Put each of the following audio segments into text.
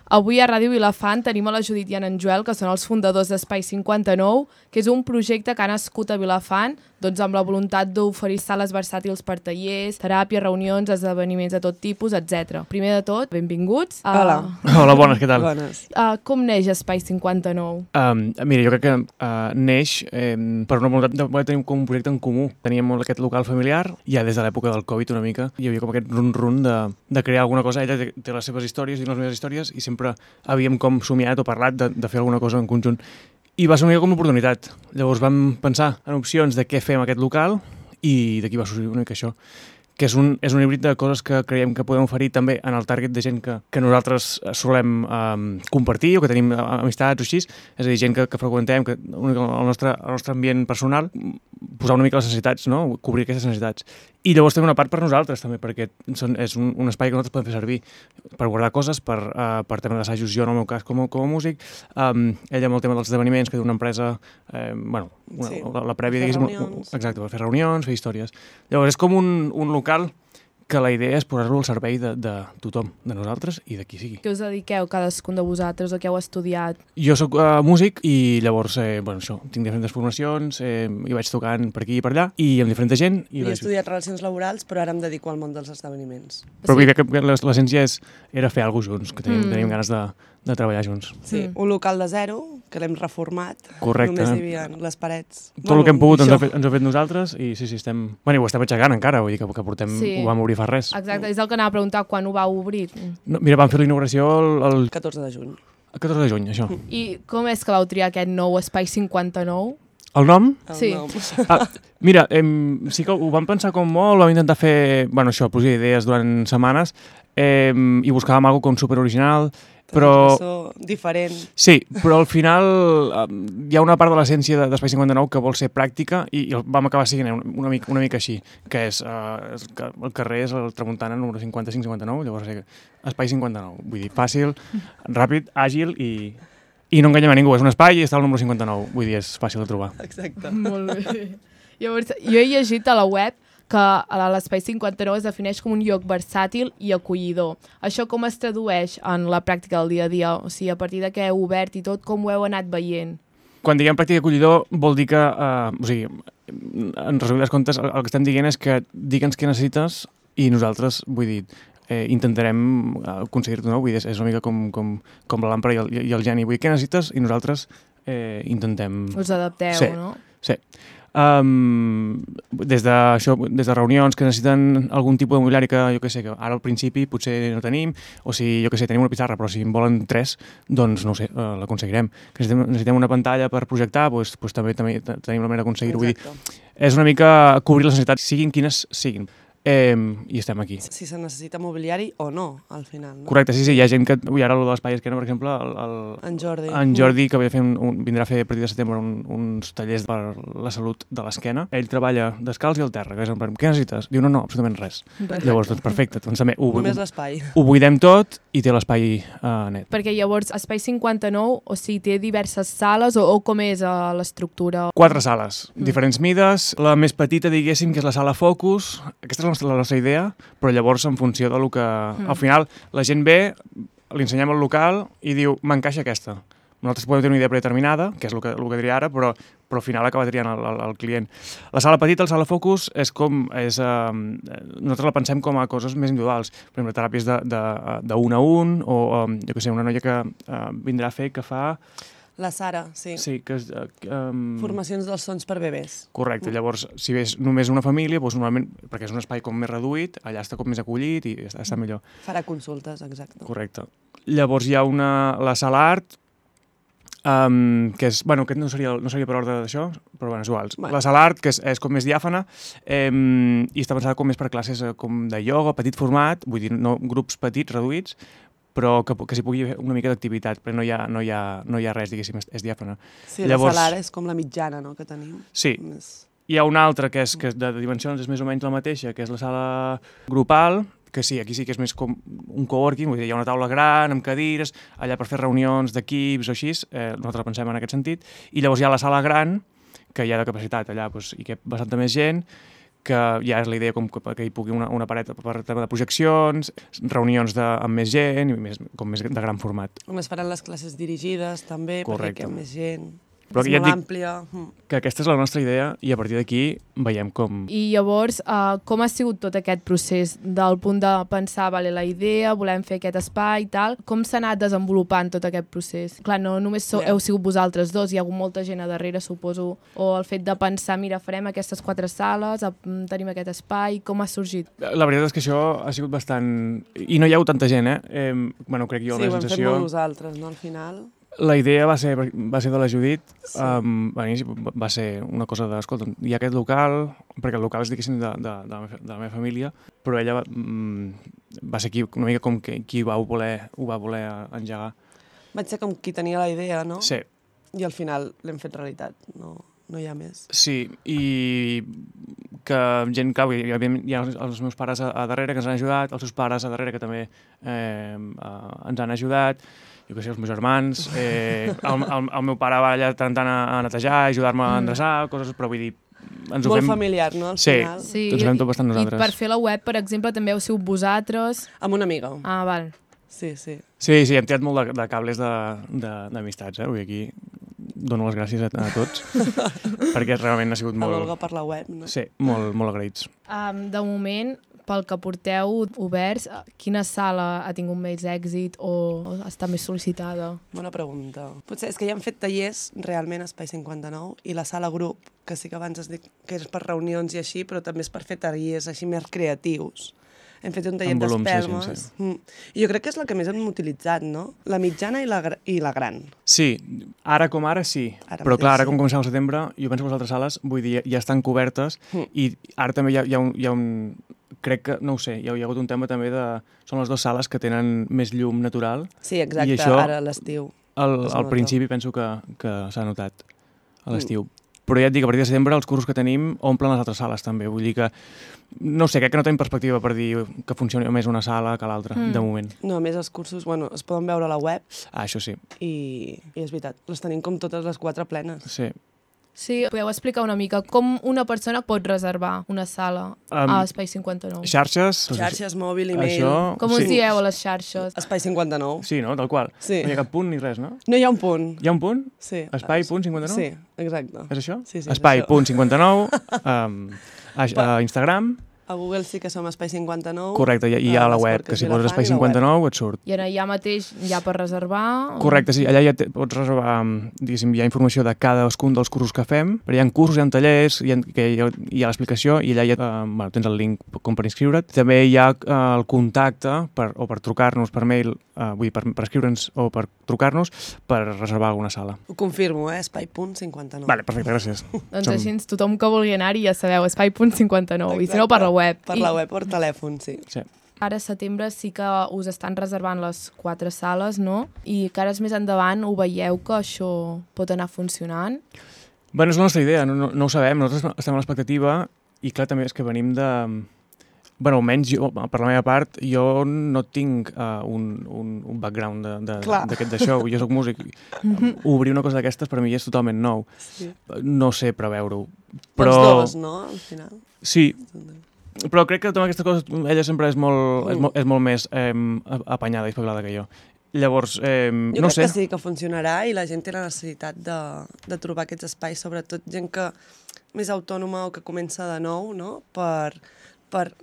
Avui a Ràdio Vilafant tenim a la Judit i en Joel, que són els fundadors d'Espai 59, que és un projecte que ha nascut a Vilafant doncs amb la voluntat d'oferir sales versàtils per tallers, teràpies, reunions, esdeveniments de tot tipus, etc. Primer de tot, benvinguts. Hola. Hola, bones, què tal? Bones. Com neix Espai 59? Mira, jo crec que neix per una voluntat de tenir com un projecte en comú. Teníem aquest local familiar, ja des de l'època del Covid una mica, hi havia com aquest run-run de crear alguna cosa. Ella té les seves històries i les meves històries i sempre havíem com somiat o parlat de fer alguna cosa en conjunt. I va ser una mica com una oportunitat. Llavors vam pensar en opcions de què fem aquest local i d'aquí va sorgir una mica això, que és un híbrid de coses que creiem que podem oferir també en el target de gent que nosaltres solem compartir o que tenim amistats o així, és a dir, gent que freqüentem, que el nostre ambient personal, posar una mica les necessitats, no? Cobrir aquestes necessitats. I llavors també una part per nosaltres també, perquè és un espai que nosaltres podem fer servir per guardar coses, per tema d'assajos, jo en el meu cas com a músic, ella amb el tema dels esdeveniments, que té una empresa, la prèvia, diguéssim, exacte, per fer reunions, fer històries. Llavors és com un local que la idea és posar-lo al servei de tothom, de nosaltres i de qui sigui. Què us dediqueu cadascun de vosaltres o què heu estudiat? Jo soc músic i llavors, tinc diferents formacions, i vaig tocant per aquí i per allà i amb diferent gent. I he estudiat relacions laborals, però ara em dedico al món dels esdeveniments. Però sí. Crec que l'essència era fer alguna cosa junts, que tenim ganes de treballar junts. Sí, un local de zero, que l'hem reformat. Correcte. Només hi havia les parets. Tot el que hem pogut ens ho hem fet nosaltres i sí, estem... Bueno, ho estem aixecant encara, vull dir que portem... Sí. Ho vam obrir fa res. Exacte, és el que anava a preguntar, quan ho vau obrir? No, mira, vam fer la inauguració el 14 de juny. El 14 de juny, això. I com és que vau triar aquest nou Espai 59? El nom? Sí. Mira, sí que ho vam pensar com molt, vam intentar fer, posar idees durant setmanes i buscàvem alguna cosa com superoriginal, però... diferent. Sí, però al final hi ha una part de l'essència d'Espai 59 que vol ser pràctica i vam acabar sent una mica així, que és que el carrer és el Tramuntana número 55-59, llavors Espai 59, vull dir, fàcil, ràpid, àgil i no enganyem a ningú, és un espai i està al número 59, vull dir, és fàcil de trobar. Exacte. Molt bé. Llavors, jo he llegit a la web que l'Espai 59 es defineix com un lloc versàtil i acollidor. Això com es tradueix en la pràctica del dia a dia? O sigui, a partir de què heu obert i tot, com ho heu anat veient? Quan diguem pràctica acollidor vol dir que, en resumides comptes, el que estem dient és que digue'ns què necessites i nosaltres, vull dir, intentarem aconseguir-t'ho, no? Vull dir, és una mica com la làmpara i el geni. Vull dir, què necessites? I nosaltres intentem... Us adapteu, sí, no? Sí. Des de reunions que necessiten algun tipus de mobiliari que, jo què sé, que ara al principi potser no tenim, o si, jo què sé, tenim una pissarra, però si en volen 3, doncs, no ho sé, l'aconseguirem. Que necessitem una pantalla per projectar, doncs també tenim la manera d'aconseguir-ho. Vull dir, és una mica cobrir les necessitats, siguin quines siguin. I estem aquí. Si se necessita mobiliari o no, al final. No? Correcte, sí, hi ha gent que... Ui, ara el de l'Espai Esquerra, per exemple, en Jordi, que vindrà a fer a partir de setembre uns tallers per la salut de l'esquena. Ell treballa descalç i al terra. Què necessites? Diu, no, absolutament res. Llavors, doncs perfecte. Doncs també només l'espai. Ho buidem tot i té l'espai net. Perquè llavors Espai 59, o sigui, té diverses sales o com és l'estructura? 4 sales, diferents mides. La més petita, diguéssim, que és la sala Focus. Aquesta és la nostra idea, però llavors en funció del que... Al final, la gent ve, li ensenyem el local i diu, m'encaixa aquesta. Nosaltres podem tenir una idea predeterminada, que és el que diria ara, però al final acaba triant el client. La sala petita, la sala Focus, nosaltres la pensem com a coses més individuals. Per exemple, teràpies d'un a un, o jo què sé, una noia que vindrà a fer que fa... La Sara, sí. Sí, que és... Formacions dels sons per bebès. Correcte, llavors, si ves només una família, doncs normalment, perquè és un espai com més reduït, allà està com més acollit i està millor. Farà consultes, exacte. Correcte. Llavors hi ha la sala art, que és... Bueno, aquest no seria per ordre d'això, però bueno, és igual. La sala art, que és com més diàfana, i està pensada com més per classes com de ioga, petit format, vull dir, no grups petits, reduïts, però que s'hi pugui fer una mica d'activitat, però no hi ha res, diguéssim, és diàfana. Sí, llavors, la sala és com la mitjana, no?, que tenim. Sí. Hi ha una altra que de dimensions és més o menys la mateixa, que és la sala grupal, que sí, aquí sí que és més com un coworking, vull dir, hi ha una taula gran, amb cadires, allà per fer reunions d'equips o així, nosaltres pensem en aquest sentit, i llavors hi ha la sala gran, que hi ha de capacitat allà, i que hi ha bastanta més gent, que ja és la idea que hi pugui una paret per tema de projeccions, reunions amb més gent, i com més de gran format. On es faran les classes dirigides també, Correcte. perquè hi ha més gent. Però és ja et molt dic àmplia. que aquesta és la nostra idea i a partir d'aquí veiem com... I llavors, com ha sigut tot aquest procés del punt de pensar, vale, la idea, volem fer aquest espai i tal, com s'ha anat desenvolupant tot aquest procés? Clar, no només heu sigut vosaltres dos, hi ha hagut molta gent a darrere, suposo, o el fet de pensar, mira, farem aquestes 4 sales, tenim aquest espai, com ha sorgit? La veritat és que això ha sigut bastant... I no hi ha hagut tanta gent, Bueno, crec jo, Sí, la ho hem fet sensació... molt nosaltres, no, al final. La idea va ser de la Judit, sí. A l'inici va ser una cosa de, escolta, hi ha aquest local, perquè el local és, diguéssim, de la meva família, però ella va ser una mica com qui ho va voler engegar. Vaig ser com qui tenia la idea, no? Sí. I al final l'hem fet realitat, no hi ha més. Sí, i que gent, clar, hi ha els meus pares a darrere que ens han ajudat, els seus pares a darrere que també ens han ajudat, jo què sé, els meus germans, el meu pare va allà tant a netejar, a ajudar-me a endreçar, coses, però vull dir... Molt familiar, no, al final? Sí, ens ho fem tot bastant nosaltres. I per fer la web, per exemple, també heu sigut vosaltres? Amb una amiga. Ah, val. Sí. Sí, hem tirat molt de cables d'amistats, Vull dir, aquí dono les gràcies a tots, perquè realment ha sigut molt... A l'Olga per la web, no? Sí, molt agraïts. De moment, pel que porteu oberts, quina sala ha tingut més èxit o està més sol·licitada? Bona pregunta. Potser és que ja hem fet tallers realment a Espai 59 i la sala grup, que sí que abans es dic que és per reunions i així, però també és per fer tallers així més creatius. Hem fet un taller d'espelmes. I jo crec que és la que més hem utilitzat, no? La mitjana i la gran. Sí, ara com ara sí. Però clar, ara com comencem al setembre, jo penso que les altres sales, vull dir, ja estan cobertes i ara també hi ha un crec que, no ho sé, hi ha hagut un tema també de... Són les 2 sales que tenen més llum natural. Sí, exacte, i això, ara a l'estiu. Al principi penso que s'ha notat a l'estiu. Però ja et dic, a partir de setembre els cursos que tenim omplen les altres sales també. Vull dir que, no sé, crec que no tenim perspectiva per dir que funcioni més una sala que l'altra, de moment. No, a més els cursos, es poden veure a la web. Ah, això sí. I és veritat, les tenim com totes les 4 plenes. Sí. Sí, podeu explicar una mica com una persona pot reservar una sala a Espai 59? Xarxes, mòbil, e-mail... Això, com us dieu a les xarxes? Espai 59. Sí, no? Tal qual. Sí. No hi ha cap punt ni res, no? No hi ha un punt. Hi ha un punt? Sí. Espai.59? Sí, exacte. És això? Sí, Espai.59 a Instagram. A Google sí que som Espai 59. Correcte, i a la web, que si poses Espai 59 et surt. I allà mateix hi ha per reservar? Correcte, sí, allà ja pots reservar, diguéssim, hi ha informació de cadascun dels cursos que fem, però hi ha cursos, hi ha tallers, hi ha l'explicació i allà tens el link com per inscriure't. També hi ha el contacte o per trucar-nos per mail, vull dir, per escriure'ns o per trucar-nos per reservar alguna sala. Ho confirmo, Espai.59. Vale, perfecte, gràcies. Doncs així tothom que vulgui anar-hi ja sabeu, Espai.59, i si no per la web. Per la web o per telèfon, sí. Ara a setembre sí que us estan reservant les 4 sales, no? I que ara més endavant ho veieu que això pot anar funcionant? Bé, és la nostra idea, no ho sabem. Nosaltres estem a l'expectativa i clar, també és que venim de... Bé, almenys jo, per la meva part, jo no tinc un background d'això. Jo soc músic. Obrir una cosa d'aquestes per mi és totalment nou. Sí. No sé preveure-ho. Però... Els dos, no?, al final. Sí. Però crec que totes aquestes coses, ella sempre és molt més apanyada i espavilada que jo. Llavors, no sé. Jo crec que sí, que funcionarà i la gent té la necessitat de trobar aquests espais, sobretot gent que més autònoma o que comença de nou, no?, per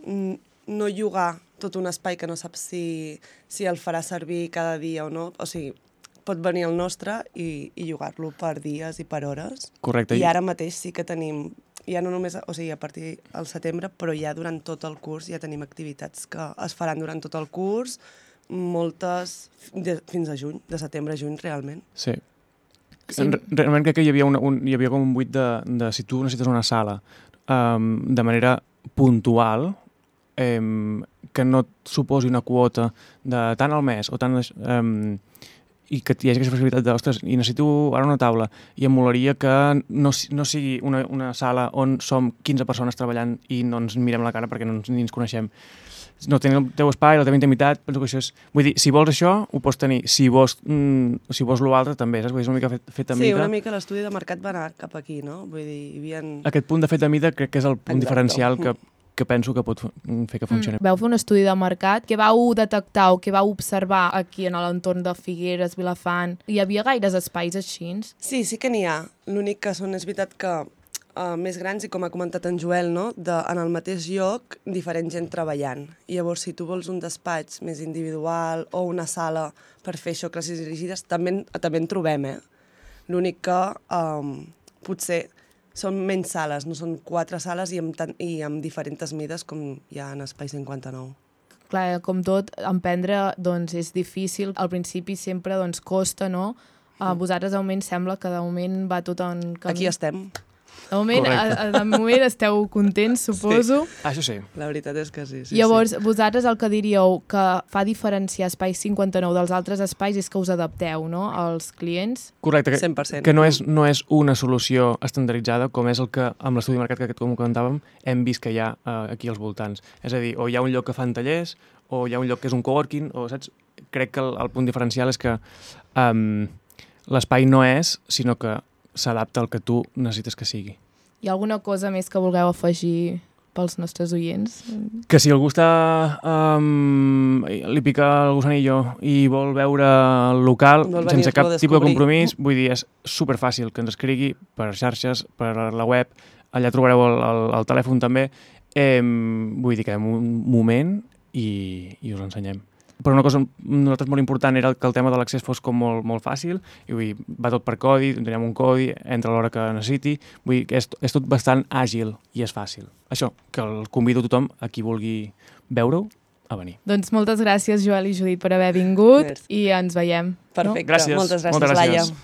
no llogar tot un espai que no sap si el farà servir cada dia o no. O sigui, pot venir el nostre i llogar-lo per dies i per hores. Correcte. I ara mateix sí que tenim... Ja no només, o sigui, a partir del setembre, però ja durant tot el curs ja tenim activitats que es faran durant tot el curs, moltes fins a juny, de setembre a juny, realment. Sí. Realment crec que hi havia com un buit de si tu necessites una sala de manera puntual, que no et suposi una quota de tant al mes o tant... i que hi hagi aquesta possibilitat de, ostres, i necessito ara una taula, i em molaria que no sigui una sala on som 15 persones treballant i no ens mirem la cara perquè ni ens coneixem, no tenir el teu espai, la teva intimitat, penso que això és... Vull dir, si vols això, ho pots tenir. Si vols l'altre, també, saps? Vull dir, és una mica fet a mida. Sí, una mica l'estudi de mercat va anar cap aquí, no? Vull dir, hi havia... Aquest punt de fet a mida crec que és el punt diferencial que penso que pot fer que funcioni. Vau fer un estudi de mercat. Què vau detectar o què vau observar aquí en l'entorn de Figueres, Vilafant? Hi havia gaires espais així? Sí que n'hi ha. L'únic que és veritat que més grans, i com ha comentat en Joel, no? En el mateix lloc, diferent gent treballant. I llavors, si tu vols un despatx més individual o una sala per fer això, classes dirigides, també en trobem, L'únic que potser són menys sales, no són 4 sales i amb diferents mides com hi ha en Espai 59. Clar, com tot, emprendre doncs, és difícil. Al principi sempre doncs, costa, no? A vosaltres, de moment, sembla que de moment va tot en camí. Aquí estem. De moment esteu contents, suposo. Sí. Això sí. La veritat és que sí. Llavors, vosaltres el que diríeu que fa diferenciar Espai 59 dels altres espais és que us adapteu, no?, als clients. Correcte. 100%. Que no és una solució estandarditzada, com és el que amb l'estudi de mercat que com comentàvem hem vist que hi ha aquí als voltants. És a dir, o hi ha un lloc que fan tallers, o hi ha un lloc que és un coworking, o saps? Crec que el punt diferencial és que l'espai no és, sinó que s'adapta al que tu necessites que sigui. Hi ha alguna cosa més que vulgueu afegir pels nostres oients? Que si algú li pica el gusanillo i vol veure el local sense cap tipus de compromís, vull dir, és superfàcil que ens escrigui per xarxes, per la web, allà trobareu el telèfon també, vull dir que en un moment i us ensenyem. Però una cosa nosaltres molt important era que el tema de l'accés fos com molt fàcil, i vull dir, va tot per codi, tenim un codi, entra a l'hora que necessiti, vull dir que és tot bastant àgil i és fàcil. Això, que el convido a tothom, a qui vulgui veure-ho, a venir. Doncs moltes gràcies, Joel i Judit, per haver vingut. Merci. I ens veiem. Perfecte. Gràcies. Moltes gràcies, Laia.